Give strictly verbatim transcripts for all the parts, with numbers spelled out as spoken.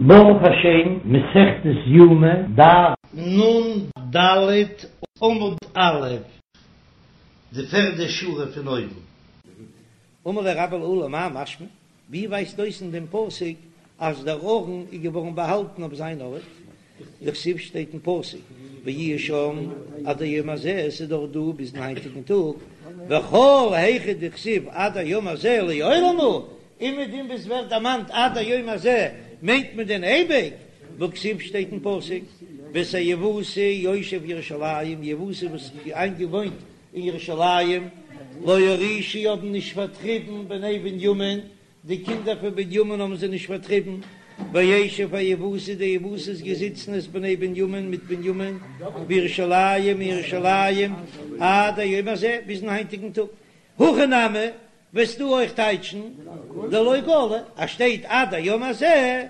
ברוך השם, מסכת יומא, דף נ"ד עמוד א', די פערדע שורה פון אויבן. אמר ליה רבה לעולא מאי משמע, ווי ווייזט אויס אין דעם פסוק אז דער ארון איז געווארן באהאלטן אויף זיין ארט? דכתיב שטייט אין פסוק ויהיו שם עד היום הזה, עס איז דאך דא ביזן היינטיגן טאג, וכל היכא דכתיב עד היום הזה לעולם הוא, און מיט דעם וואס ווערט דערמאנט עד היום הזה מיינט מען דען אייביג? והכתיב שטייט אין פסוק ואת היבוסי יושב ירושלים, יבוסי וואס איז איינגעוואוינט אין ירושלים, לא הורישו האבן נישט פארטריבן בני בנימין, די קינדער פון בנימין האבן זיי נישט פארטריבן, וישב היבוסי די יבוסי איז געזיצן את בני בנימין מיט בנימין בירושלים אין ירושלים עד היום הזה ביזן היינטיגן טאג, הכא נמי וועסטו אויך טייטשן דלא גלו אז שטייט עד היום הזה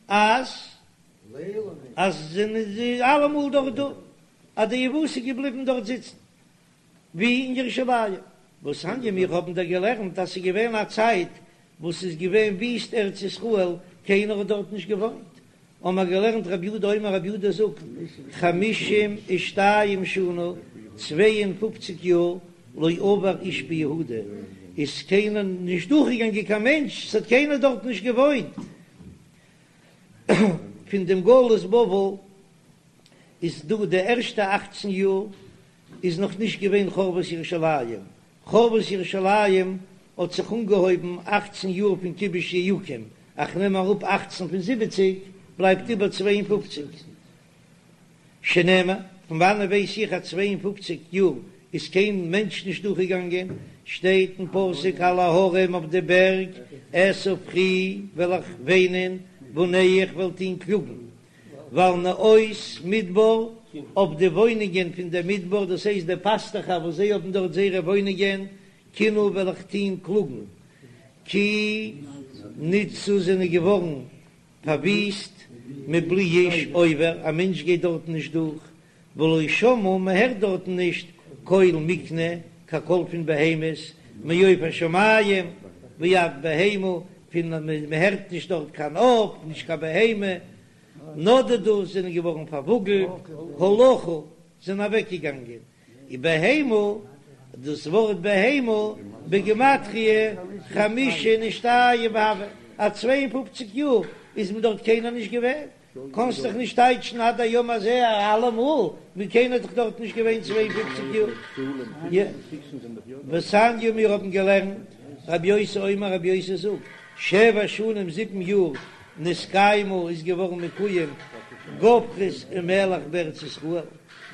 אז אז זענען זיי אלעמאל דארט דא אז די יבוסי איז געבליבן דארט זיצן ווי אין ירושלים והתניא מיר האבן דא געלערנט אז ס'איז געווען א צייט וואס ס'איז געווען וויסט ארץ ישראל קיינער האט דארט נישט געוואוינט האבן מיר געלערנט רבי יהודה אומר רבי יהודה זאגט חמישים ושתיים שנה צוויי און פופציג יאר לא עבר איש ביהודה איז קיינער נישט דורכגעגאנגען קיין מענטש ס'האט קיינער דארט נישט געוואוינט פון דעם גלות בבל איז דא די ערשטע אכצן יאר איז נאך נישט געווען חורבת ירושלים, חורבת ירושלים האט זיך אנגעהויבן אכצן יאר פון כיבוש יהויקים, איך נעם אראפ אכצן פון זיבעציג בלייבט איבער צוויי און פופציג, שנאמר, פון וואנען ווייס איך אז צוויי און פופציג יאר איז קיין מענטש נישט דורכגעגאנגען, שטייט אין פסוק על ההרים אויף די בערג אשא בכי וועל איך וויינען ואנח איך וועל טון קלאגן, ועל נאות מדבר, אויף די וואוינונגען פון דער מדבר, דאס הייסט די פאסטעכער וואס זיי האבן דארט זייערע וואוינונגען, קינה וועל איך טון קלאגן, כי נתסו זענען געווארן פארוויסט, מבלי איש עובר, א מענטש גייט דארטן נישט דורך, ולא שמעו, מען הערט דארטן נישט קול מקנה, קיין קול פון בהמות, מעוף השמים ועד בהמה, פון מען הערט נישט דארט קיין עוף, נישט קיין בהמה, נדדו זענען געווארן פארוואגלט, הלכו זענען אוועקגעגאנגען, ובהמה, דאס ווארט בהמה בגימטריא חמישים ושתיים הוה, אז צוויי און פופציג יאר איז מען דארט קיינער נישט געווען. קאנסט דאך נישט טייטשן עד היום הזה אלעמאל, ווי קיינער האט דאך דארט נישט געווען צוויי און פופציג יאר. ותניא מיר האבן געלערנט, רבי יוסי אומר רבי יוסי זאגט, שבע שנים זיבן יאר נתקיימה איז געווארן מקוים גופרית ומלח בארץ ישראל,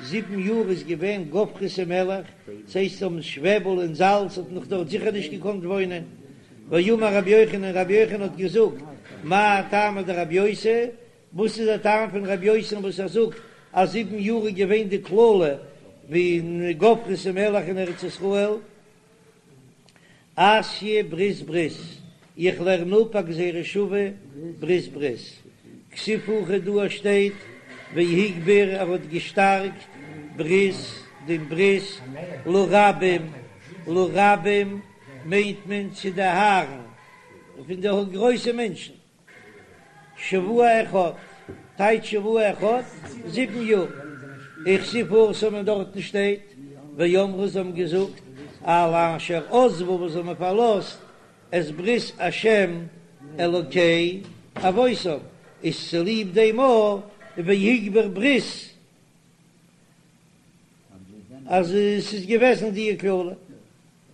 זיבן יאר איז געווען גופרית ומלח, ס'הייסט האבן שוועבל און זאלץ האט נאך דארט זיכער נישט געקאנט וואוינען, ואמר רבי יוחנן, רבי יוחנן האט געזאגט, מאי טעמא דרבי יוסי, וואס איז דער טעם פון רבי יוסי'ן וואס ער זאגט אז זיבן יאר איז געווען די קללה פון גופרית ומלח אין ארץ ישראל, אתיא ברית ברית, איך לערן אפ א גזירה שווה ברית ברית, כתיב הכא דא שטייט והגביר ער האט געשטארקט ברית דעם ברית לרבים לרבים מיינט מען צו די הארן פון די גרויסע מענטשן. שבוע אחד, טייטש שבוע אחד, זיבן יאר. וכתיב התם און דארטן שטייט, ואמרו זיי האבן געזאגט, על אשר עזבו וואס זיי האבן פארלאזט את ברית השם אלוקי אבותם, איז צוליב דעם אויך והגביר ברית אז עס איז געוועזן די קללה.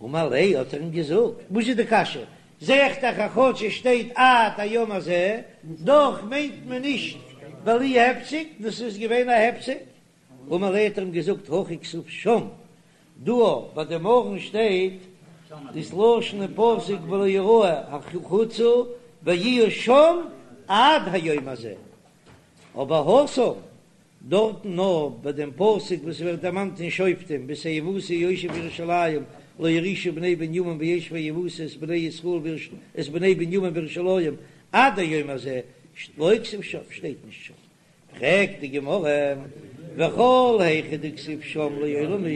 אמר ליה האט ער אים געזאגט, וואס איז די קשיא? זע איך דאך אז כאטש עס שטייט עד היום הזה, דאך מיינט מען נישט בלי הפסק, דאס איז געווען א הפסק. אמר ליה האט ער אים געזאגט, הכא כתיב שם, דא ביי דעם ארון שטייט דאס לשון אין פסוק ולא יראה החוצה ויהיו שם עד היום הזה, אבער התם דארטן נאר ביי דעם פסוק וואס ווערט דערמאנט אין שופטים ואת היבוסי יושב ירושלים לא הורישו בני בנימין וישב היבוסי את בני ישראל את בני בנימין בירושלים עד היום הזה לא כתיב שם שטייט נישט שם פרעגט די גמרא וכל היכא דכתיב שם לעולם הוא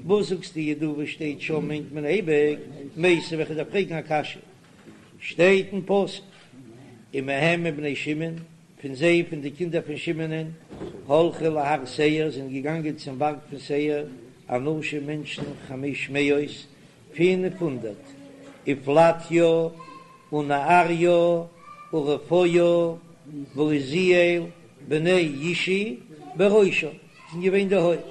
וואס זאגסטו דא וואס שטייט שם מיינט מען אייביג מיתיבי וועל איך דיר פרעגן א קשיא שטייט אין פסוק ומהם מבני שמעון פון זיי, פון די קינדער פון שמעונען, הלכו להר שעיר, זענען געגאנגען צום בארג פון שעיר, אנשים מענטשן חמש מאות, פינף הונדערט, ופלטיה ונעריה ורפיה ועוזיאל בני ישי בראשם, זענען געווען די הויפט,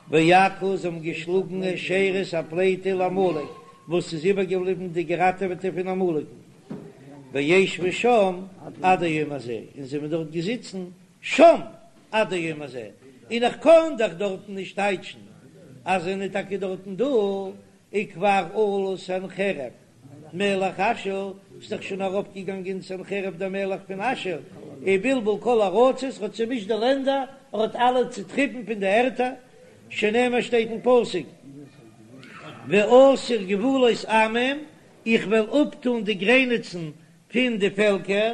ויכו זיי האבן געשלאגן את שארית הפליטה לעמלק, וואס איז איבערגעבליבן די געראטעוועטע פון עמלקן, וישבו שם עד היום הזה, און זיי זענען דארט געזיצן שם עד היום הזה, און איך קען דאך דארטן נישט טייטשן אז זיי זענען טאקע דארטן דא, וכבר עלה סנחריב מלך אשור, איז דאך שוין ארויפגעגאנגען סנחריב דער מלך פון אשור, ובלבל כל הארצות, האט צעמישט די לענדער, ער האט אלע צעטריבן פון די ערטער, שנאמר שטייט אין פסוק, ואסיר גבולות עמים, איך וועל אפטאן די גרעניצן פון די פעלקער,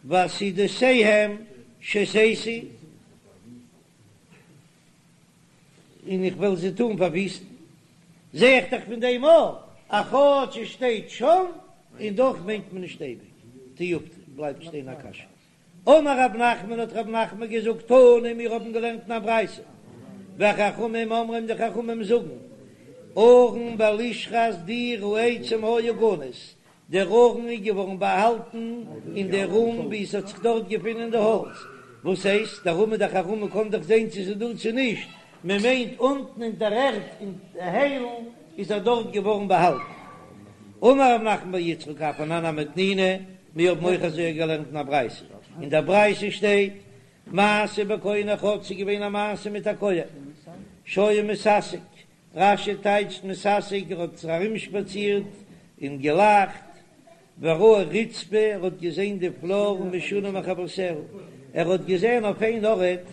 ועתודותיהם שתיתי, און איך וועל זיי טאן פארוויסטן. זע איך דאך פון דעם אויך, אז כאטש עס שטייט שם, און דאך מיינט מען נישט אייביג. תיובתא, בלייבט שטיין א קשיא. אמר רב נחמן האט רב נחמן געזאגט תנא מיר האבן געלערנט אין א ברייתא וחכמים אומרים די חכמים זאגן ארון בלשכת דיר העצים היה גנוז דער ארון איז געווארן באהאלטן אין דער רום וואו עס האט זיך דארט געפונען די האלץ וואס הייסט דער רום איז דאך א רום מען קען דאך זען צו ס'איז דא צו נישט מען מיינט אונטן אין דער ערד אין די היילן איז ער דארט געווארן באהאלטן אמר רב נחמן בר יצחק אף אנן נמי תנינא מיר האבן אויך אזוי געלערנט אין א ברייתא, אין דער ברייתא שטייט, מעשה בכהן אחד, ס'איז געווען א מעשה מיט א כהן, שהיה מתעסק, רש"י טייטשט מתעסק, ער האט זיך ארומשפאצירט און געלאכט, וראה רצפה, ער האט געזען די פלאר משונה מחברותיה, ער האט געזען אויף איין ארט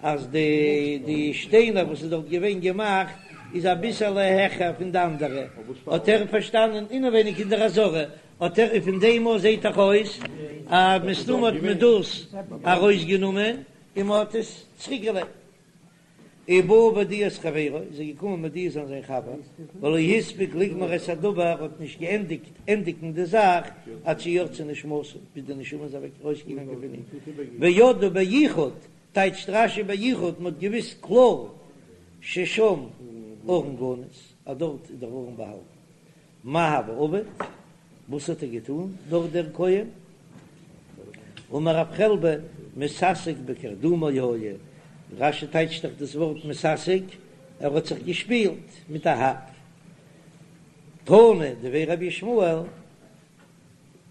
אז די די שטיינער וואס איז דארט געווען געמאכט איז אביסעלע העכער פון די אנדערע, האט ער פארשטאנען אינעווייניג אין דער עזרה האט ער און פון דעם אויס זעהט דאך אויס אז מסתמא האט מען דאס ארויסגענומען און מען האט עס צוריק געלייגט. ובא והודיע את חברו, איז ער געקומען מודיע זיין זיין חבר, ולא הספיק לגמור את הדבר, האט נישט געענדיגט ענדיגן די זאך, עד שיצאה נשמתו, ביז די נשמה איז אוועק ארויסגעגאנגען פון אים, וידעו ביחוד, טייטשט רש"י ביחוד, מען האט געוויסט קלאר ששם ארון גנוז, אז דארט איז דער ארון באהאלטן. מאי הוה עביד? וואס האט ער געטון דארט דער כהן? אמר רב חלבו מתעסק בקרדומו היה, רש"י טייטשט דאך דאס ווארט מתעסק, ער האט זיך געשפילט מיט א האק. תנא דבי רבי ישמעאל,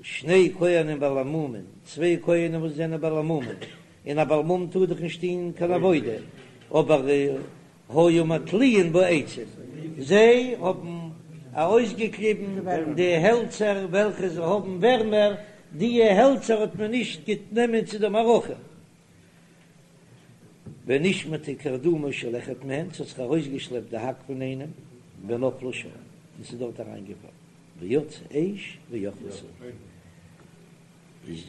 שני כהנים בעלי מומין, צוויי כהנים וואס זענען בעלי מומין, און א בעל מום טאר דאך נישט טון קיין עבודה, אבער היו מתליעין בעצים, זיי האבן ארויסגעקליבן די העלצער וועלכע זיי האבן ווערמער, דיע העלצער האט מען נישט גענומען צו די מערכה. ונשמטה קרדומו של אחד מהן, ס'האט זיך ארויסגעשלעפט די האק פון איינעם, ונפלה שם, און ס'איז דארט אריינגעפאלן, ויצאה אש ואכלתו. איז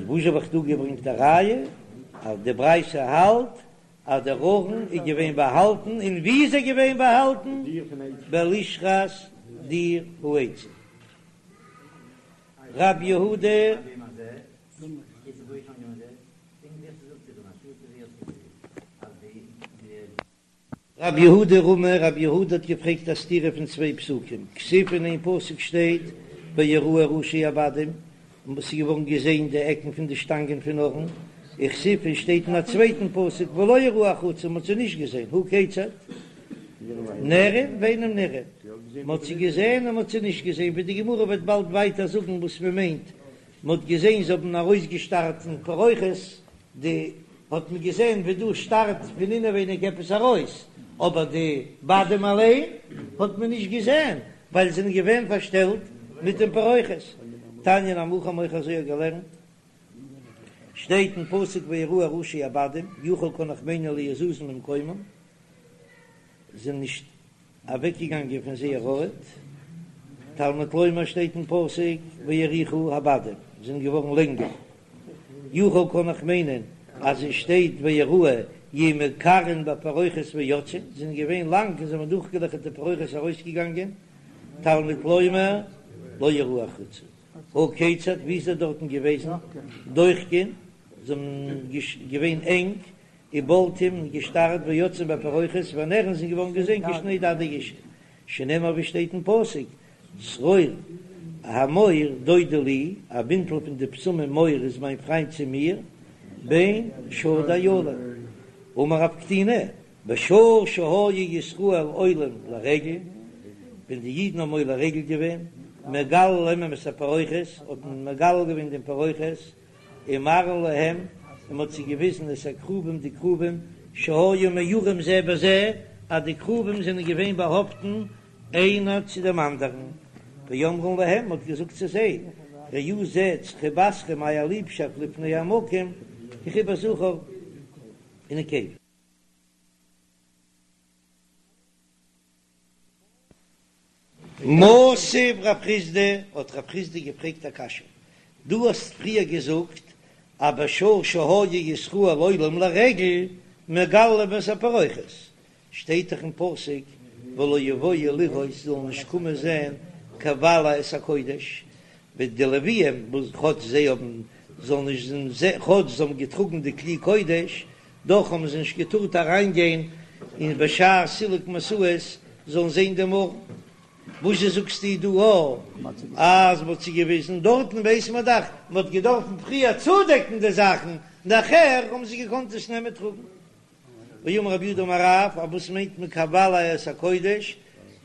וואס האב איך דא געברענגט א ראיה אז די ברייתא האלט אז דער ארון איז געווען באהאלטן, און ווי איז ער געווען באהאלטן? בלשכת דיר העצים. רב יהודה. רב יהודה רמי, רב יהודה האט געפרעגט א סתירה פון צוויי פסוקים, כתיב אין איין פסוק שטייט ויראו ראשי הבדים, און עס איז געווארן געזען די עקן פון די שטאנגען פון ארון, וכתיב און שטייט אין א צווייטן פסוק ולא יראו החוצה, מען האט זיי נישט געזען, הא כיצד? נראין ואינן נראין, מען האט זיי געזען און מען האט זיי נישט געזען, ווי די גמרא וועט באלד ווייטער זאגן וואס מען מיינט, מען האט געזען זיי האבן ארויסגעשטארט אין פרוכת די האט מען געזען ווי דא שטארט פון אינעווייניג עפעס ארויס, אבער די בדים אליין האט מען נישט געזען ווייל זיי זענען געווען פארשטעלט מיט דעם פרוכת. תניא נמי הכי האבן אויך אזוי געלערנט, שטייט אין פסוק ויראו ראשי הבדים, יכול קען איך מיינען לא יזוזו ממקומם, זענען נישט אוועקגעגאנגען פון זייער ארט, תלמוד לומר שטייט אין פסוק ויאריכו הבדים, זענען געווארן לענגער, יכול קען איך מיינען אז עס שטייט ויראו יהו מקרעין בפרוכת ויוצאין, זענען געווען לאנג און זיי האבן דורכגעלעכערט די פרוכת ארויסגעגאנגען, תלמוד לומר לא יראו החוצה. הא כיצד, ווי איז ער דארטן געוועזן? דוחקין, זיי האבן געווען ענג, ובולטים, און געשטארט, ויוצאין בפרוכת, ונראין זענען געווארן געזען כשני דדי אישות, שנאמר ווי שטייט אין פסוק, צרור המור דודי לי, א בינטל פון די בשמים מור איז מיין פריינט צו מיר, בין שדי אילים. אמר רב קטינא, בשעה שהיו ישראל עולים לרגל, ווען די אידן האבן עולה רגל געווען, מגלין להם את הפרוכת, האט מען מגלה געווען דעם פרוכת, ומראין להם, און מען האט זיי געוויזן את הכרובים די כרובים, שהיו מעורים זה בזה, אז די כרובים זענען געווען באהאפטן איינער צו דעם אנדערן, ואומרים להם, מען האט געזאגט צו זיי, ראו זעטס חיבתכם אייער ליבשאפט לפני המקום, כחיבת זכר ונקבה. מתיב רב חסדא, האט רב חסדא געפרעגט א קשיא, דו האסט פריער געזאגט אז בשעה שהיו ישראל עולים לרגל מגלין להם את הפרוכת, שטייט דאך אין פסוק ולא יבואו לראות זאלן נישט קומען זען כבלע את הקודש, ווען די לוויים וואס כאטש זיי האבן זאלן נישט זען כאטש זיי האבן געטראגן די כלי קודש, דאך האבן זיי נישט געטארט אריינגיין אין בשעת סילוק משאות זאלן זען דעם ארון. וואס זשע זאגסטו דא אז מ'האט זיי געוויזן? דארטן ווייס מען דאך מ'האט געדארפן פריער צודעקן די זאכן, נאכער האבן זיי געקאנט עס נעמען טראגן. ואמר רב יהודה אמר רב, אז וואס מיינט מען כבלע את הקודש?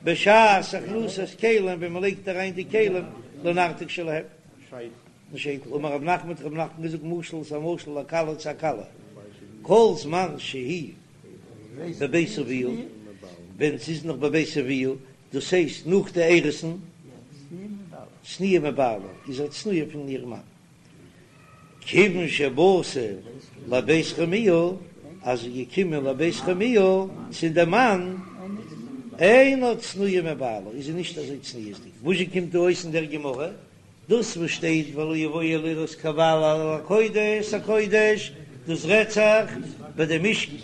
בשעת הכנסת כלים ווען מ'לייגט אריין די כלים לנרתיק שלהם. שייטל, אמר רב נחמן האט רב נחמן געזאגט משל ס'איז א משל לכלה צו א כלה, כל זמן שהיא בבית אביה, ווען ס'איז נאך בבית אביה, דאס הייסט נאך די אירוסין, צנועה מבעלה, איז זי צנועה פון איר מאן, כיוון שבאתה לבית חמיה, אז זי איז געקומען לבית חמיה צו די מאן, אינה צנועה מבעלה, איז זי נישט אזוי צניעות'דיג, וואס זשע קומט דא אויס אין דער גמרא? דאס וואס שטייט ולא יבואו לראות כבלע את הקודש הקודש, דאס רעדט זיך ביי די משכן,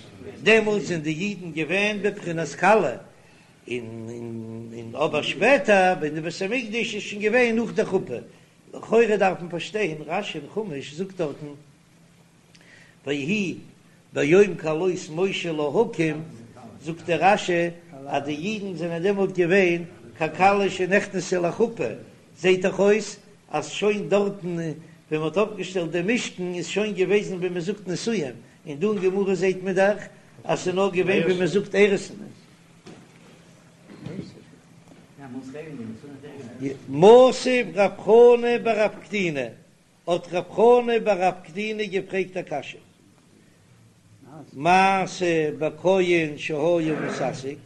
דעמאלטס זענען די אידן געווען בבחינת כלה, און אבער שפעטער ווען די בית המקדש איז שוין געווען נאך די חופה, לכאורה דארף מען פארשטיין, רש"י אין חומש זאגט דארטן ויהי ביום כלות משה להקים, זאגט דער רש"י אז די אידן זענען דעמאלט געווען ככלה שנכנסה לחופה, זעט דאך אויס אז שוין דארטן ווען מען האט אויפגעשטעלט דעם משכן איז שוין געוועזן ווי מען זאגט נישואין, און דא אין גמרא זעט מען דאך אז ס'איז נאר געווען ווי מען זאגט אירוסין. מתיב רב חנא בר רב קטינא, האט רב חנא בר רב קטינא געפרעגט א קשיא, מעשה בכהן שהיה מתעסק,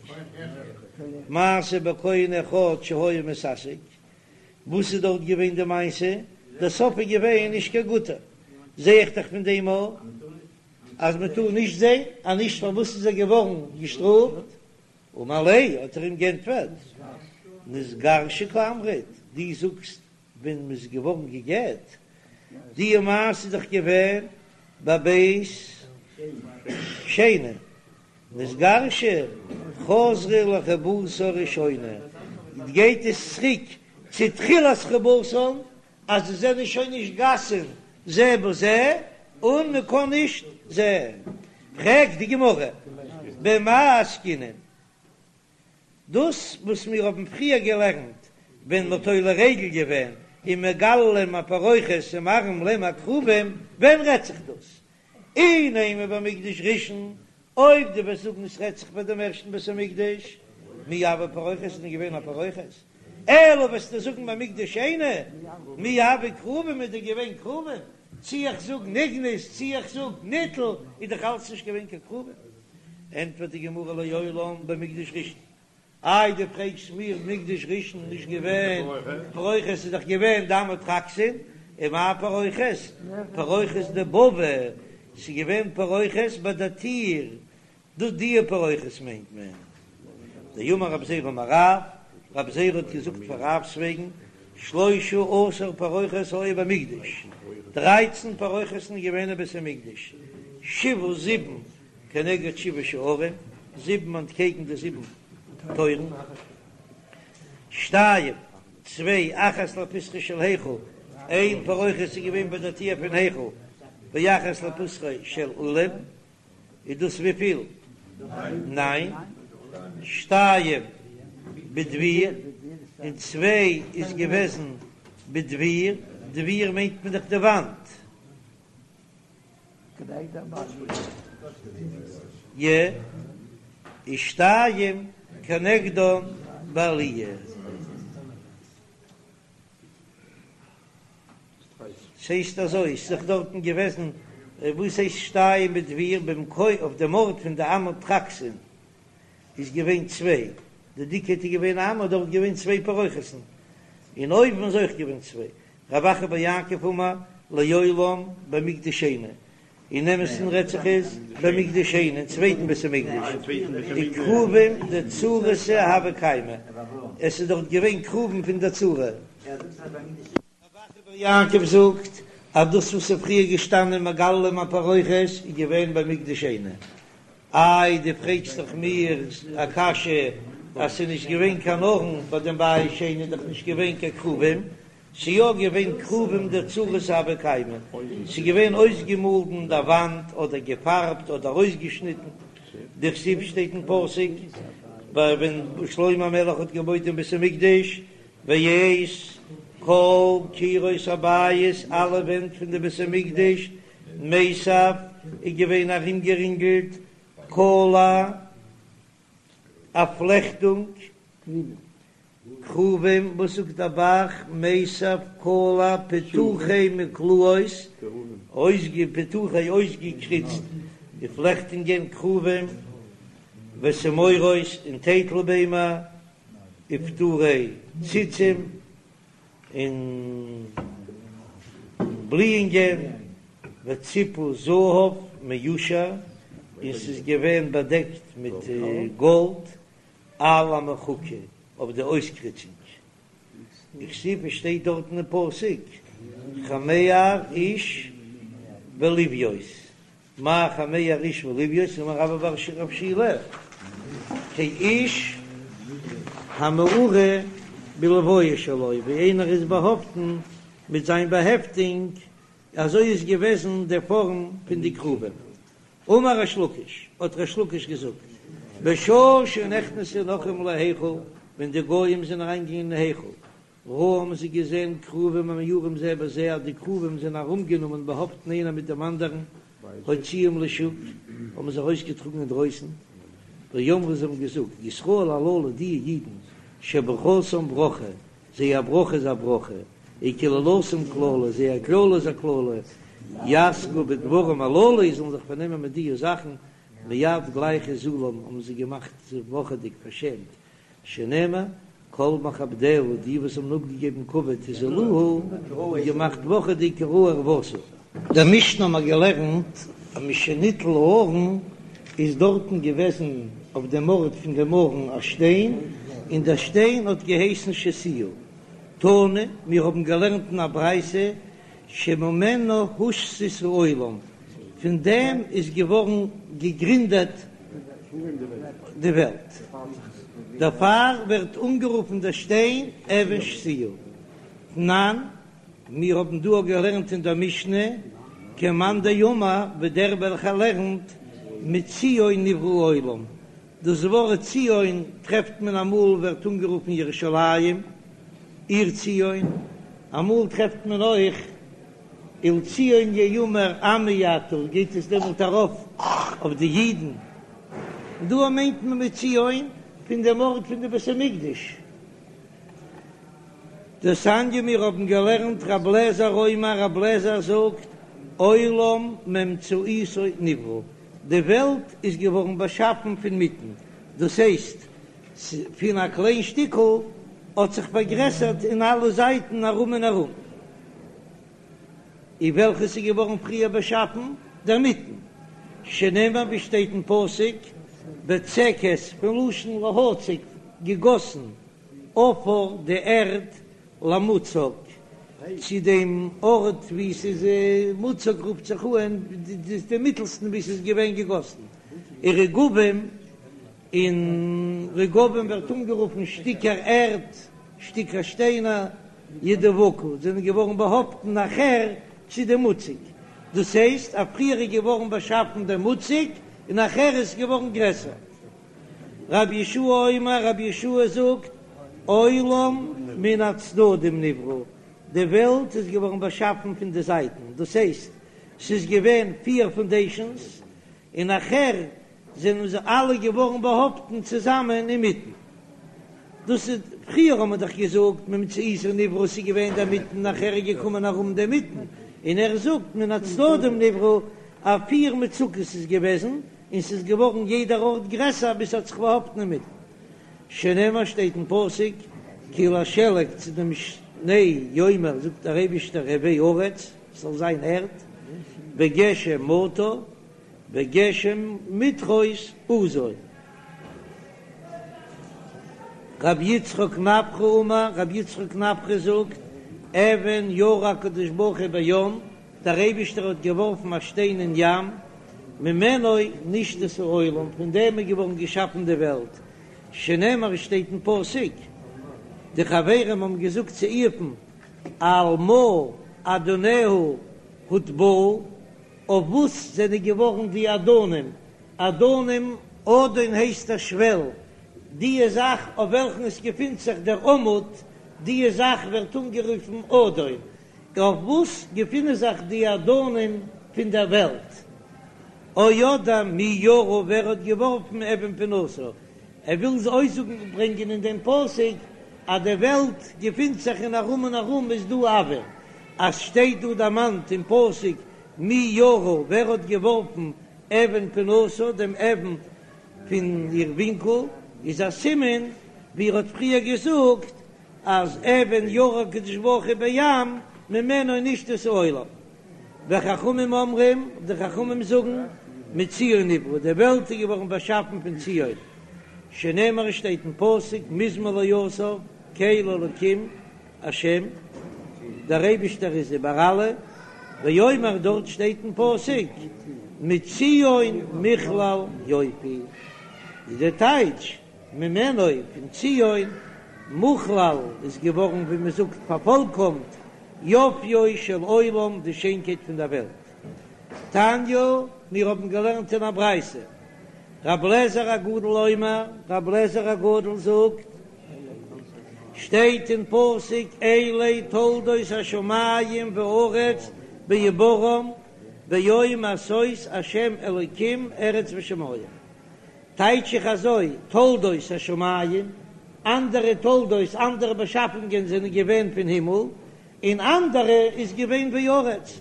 מעשה בכהן אחד שהיה מתעסק, וואס איז דארט געווען די מעשה? דער סוף איז געווען נישט קיין גוטער, זע איך דאך פון דעם אויך אז מען טאר נישט זען, אז נישט פארוואס איז ער געווארן געשטראפט? אמר ליה, האט ער אים גענטפערט, נתגרשה קאמרת, דו זאגסט ווען מ'איז געווארן גע'גט, די מעשה איז דאך געווען בבית שני, נתגרשה חזרה לחיבתה הראשונה, גייט עס צוריק צו תחילת חיבתן, אז זיי זענען שוין נישט גסין זה בזה, און מ'קען נישט זען. פרעגט די גמרא, במאי עסקינן? דאס וואס מיר האבן פריער געלערנט ווען מ'האט עולה רגל געווען און מגלין להם הפרוכת ומראים להם הכרובים, ווען רעדט זיך דאס? אי נימא במקדש ראשון, אויב דו וועסט זאגן עס רעדט זיך ביי דעם ערשטן בית המקדש, מי הוה פרוכת איז דען געווען א פרוכת? אלא וועסטו זאגן במקדש שני, מי הוו כרובים איז דען געווען כרובים? צי איך זאג נגנז צי איך זאג ניטל איז דאך אלץ נישט געווען קיין כרובים. ענטפערט די גמרא לעולם במקדש ראשון, איי דו פרעגסט מיר מקדש ראשון נישט געווען פרוכת איז דאך געווען דם טרקסין, ומאי פרוכת פרוכת דבבא, ס'איז געווען פרוכת ביי די טיר, דא די פרוכת מיינט מען דאמר רב זירא אמר רב, רב זירא האט געזאגט פאר רב'ס וועגן שלשה עשר פרוכת היו במקדש, דרייצן פרוכת'ן איז געווען אין בית המקדש, שבעה זיבן כנגד שבעה שערים, זיבן אנטקעגן די זיבן טויערן, שתיים צוויי אחת לפתחו של היכל, איין פרוכת איז געווען ביי דער טיר פון היכל, ואחת לפתחו של אולם, איז דאס וויפיל? ניין, שתיים בדביר, און צוויי איז געוועזן בדביר, דביר מיינט מען דאך די וואנט. י. ושתיים כנגדן בעליה. ס'הייסט אזוי, ס'איז דאך דארטן געוועזן, וואס הייסט שתיים בדביר במקום אויף דעם ארט פון די אמה טרקסין איז געווען צוויי, די דיקייט איז געווען א אמה, דארט געווען צוויי פרוכת'ן, און אויבן איז אויך געווען צוויי. רב אחא בר יעקב אמר לעולם במקדש שני, אין אמת'ן רעדט זיך עס במקדש שני, אין צווייטן בית המקדש, דכרובים דצורתא הוו קיימי, עס איז דארט געווען כרובים פון דער צורה. רב אחא בר יעקב זאגט אז דאס וואס איז פריער געשטאנען מגללים הפרוכת איז געווען במקדש שני. איי דו פרעגסט דאך מיר א קשיא אז ס'איז נישט געווען קיין ארון ביי דעם בית שני איז דאך נישט געווען קיין כרובים, ס'איז יא געווען כרובים דצורתא הוו קיימי, ס'איז געווען אויסגעמאלדן די וואנט אדער געפארבט אדער אויסגעשניטן, דכתיב שטייט אין פסוק ביי ווען שלמה המלך האט געבויט דעם בית המקדש, ואת כל קירות הבית אלע ווענט פון די בית המקדש מיסב איז געווען ארומגערינגלט קלע א פלעכטונג כרובים, וואס זאגט דער ב"ח מיסב קלע פיתוחי מקלעות, פיתוחי אויסגעקריצט די פלעכטונגען כרובים ותמורות און טייטלביימער ופטורי ציצים און בליאונגען וציפו זהב מיושר און ס'איז געווען באדעקט מיט גאלד על המחוקה אויף די אויסקריצונג, וכתיב שטייט דארטן אין פסוק חמר איש ולויות, מאי חמר איש ולויות אמר רבה בר רב שילא כאיש המעורה בלויה שלו, ווי איינער איז באהאפטן מיט זיין באהעפטונג, אזוי איז געוועזן די פארם פון די כרובים. אמר ריש לקיש, האט ריש לקיש געזאגט, בשעה שנכנסו נכרים להיכל, ווען די גויים זענען אריינגעגאנגען אין היכל, ראו האבן זיי געזען כרובים המעורים זה בזה, אז די כרובים זענען ארומגענומען באהאפטן איינער מיט דעם אנדערן, הוציאום לשוק, האבן זיי ארויסגעטראגן אינדרויסן, ואמרו זיי האבן געזאגט, ישראל הללו די אידן, שברכתם ברכה, זייער ברכה איז א ברכה, וקללתם קללה, זייער קללה איז א קללה, יעסקו בדברים הללו, זאלן זיך פארנעמען מיט די זאכן, מיד גלייך הזילום האבן זיי געמאכט זיך וואכעדיג פארשעמט, שנאמר, כל מכבדיה, די וואס האבן אפגעגעבן כבוד הזילוה, און געמאכט וואכעדיג כי ראה ערותה. דער משנה האבן מיר געלערנט אז משניטל הארון איז דארטן געוועזן אויף דעם ארט פון דעם ארון א שטיין, און דער שטיין האט געהייסן שתייה. תנא, מיר האבן געלערנט אין א ברייתא שממנו הושתת העולם, פון דעם איז געווארן געגרינדעט די וועלט, דערפאר ווערט אנגערופן דער שטיין אבן שתיה. תנן, מיר האבן דא געלערנט אין דער משנה, כמאן דאמר, ווי דער וועלכער לערנט, מציון נברא העולם, דאס ווארט ציון טרעפט מען אמאל ווערט אנגערופן ירושלים, עיר ציון, אמאל טרעפט מען אויך ולציון יאמר עמי אתה, גייט עס דעמאלט ארויף אויף די אידן, דא מיינט מען מציון פון דעם ארט פון די בית המקדש. דתניא מיר האבן געלערנט רב לעזער אומר רב לעזער זאגט עולם מאמצעיתו נברא, די וועלט איז געווארן באשאפן פון מיטן, דאס הייסט פון א קליין שטיקל האט זיך פארגרעסערט אין אלע זייטן ארום און ארום, און וועלכעס איז געווארן פריער באשאפן? דער מיטן, שנאמר ווי שטייט אין פסוק בצקת פון לשון להציק געגאסן עפר די ערד למוצק, צו דעם ארט וואו ס'איז מוצק רופט זיך אן די מיטלסטן וואו ס'איז געווען געגאסן, ורגבים, און רגבים ווערט אנגערופן שטיקער ערד שטיקער שטיינער, ידבקו, זענען געווארן באהאפטן נאכער צו דעם מוצק, דאס הייסט אז פריער איז געווארן באשאפן דער מוצק און נאכער איז געווארן גרעסער. רבי יהושע אומר, רבי יהושע זאגט, עולם מן הצדדים נברא, די וועלט איז געווארן באשאפן פון די זייטן, דאס הייסט ס'איז געווען פיר פאנדעישאנס און נאכער זענען זיי אלע געווארן באהאפטן צוזאמען אינמיטן. דאס איז, פריער האט מען דאך געזאגט מאמצעיתו נברא ס'איז געווען דער מיטן נאכער איז געקומען ארום דער מיטן, און ער זאגט מן הצדדים נברא אז פיר מצוקות איז געוועזן און ס'איז געווארן יעדער ארט גרעסער ביז ס'האט זיך באהאפטן אינמיטן. שנאמר שטייט אין פסוק כי לשלג צו דעם שניי יאמר זאגט דער אייבישטער הוי ארץ ס'זאל זיין ערד וגשם מטר וגשם מטרות עזו. רבי יצחק נפחא אמר, רבי יצחק נפחא זאגט, אבן ירה הקדוש ברוך הוא בים, דער אייבישטער האט געווארפן א שטיין אין ים, ממנו נשתת העולם, פון דעם איז געווארן געשאפן די וועלט, שנאמר עס שטייט אין פסוק, די חברים האבן געזאגט צו איוב'ן, על מה אדניה הוטבעו, אויף וואס זענען געווארן די אדנים, אדנים, אדן הייסט א שוועל, דיע זאך אויף וועלכן עס געפינט זיך דער עמוד, דיע זאך ווערט אנגערופן אדן, אויף וואס געפינען זיך די אדנים פון דער וועלט? או אדער מי ירה ווער האט געווארפן אבן פינתה? ער וויל אויסזאגן ברענגען אין דעם פסוק אז די וועלט געפינט זיך און ארום און ארום איז דא אויר, אז שטייט דא דערמאנט אין פסוק מי ירה ווער האט געווארפן אבן פינתה דעם אבן פון איר ווינקל, איז א סימן ווי ער האט פריער געזאגט אז אבן ירה הקדוש ברוך הוא בים ממנו נשתת העולם. וחכמים אומרים, די חכמים זאגן, מציון נברא, די וועלט איז געווארן באשאפן פון ציון, שנאמר עס שטייט אין פסוק מזמור לאסף, קל אלקים השם, דער אייבישטער איז איבער אלע, ואומר דארט שטייט אין פסוק מציון מכלל יופי, איז די טייטש ממנו פון ציון מוכלל איז געווארן ווי מען זאגט פארפאלקאמט יופיו של עולם די שיינקייט פון דער וועלט. תניא, מיר האבן געלערנט אין א ברייתא, רב לעזער הגדול אומר, רב לעזער הגדול זאגט, שטייט אין פסוק אלה תולדות השמים והארץ בהבראם ביום עשות השם אלוקים ארץ ושמים, טייטש איך אזוי, תולדות השמים, אנדערע תולדות, אנדערע באשאפונגען זענען געווען פון הימל, און אנדערע איז געווען בארץ,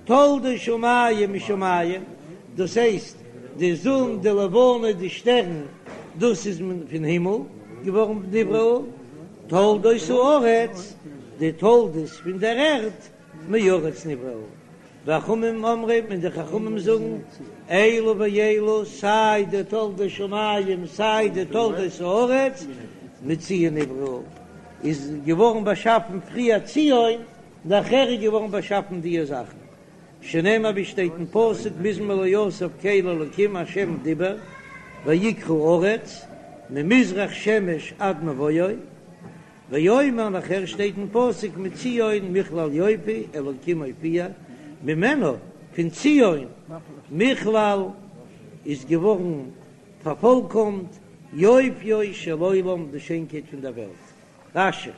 תולדות שמים משמים, דאס הייסט די זון, די לבנה, די שטערן, דאס איז פון הימל געווארן נבראו, תולדות הארץ, די תולדות פון דער ערד, מארץ נבראו, וחכמים אומרים, און די חכמים זאגן, אלו ואלו, סיי די תולדות שמים סיי די תולדות הארץ, מציון נבראו, איז געווארן באשאפן פריער ציון, נאכער איז געווארן באשאפן דיע זאכן, שנאמר ווי שטייט אין פסוק מזמור לאסף קל אלקים השם דיבר ויקרא ארץ ממזרח שמש עד מבואו, ואומר נאכער שטייט אין פסוק מציון מכלל יופי אלקים הופיע ממנו פון ציון מכלל איז געווארן פארפולקאמט יופיו של עולם די שיינקייט פון דער וועלט. רש"י.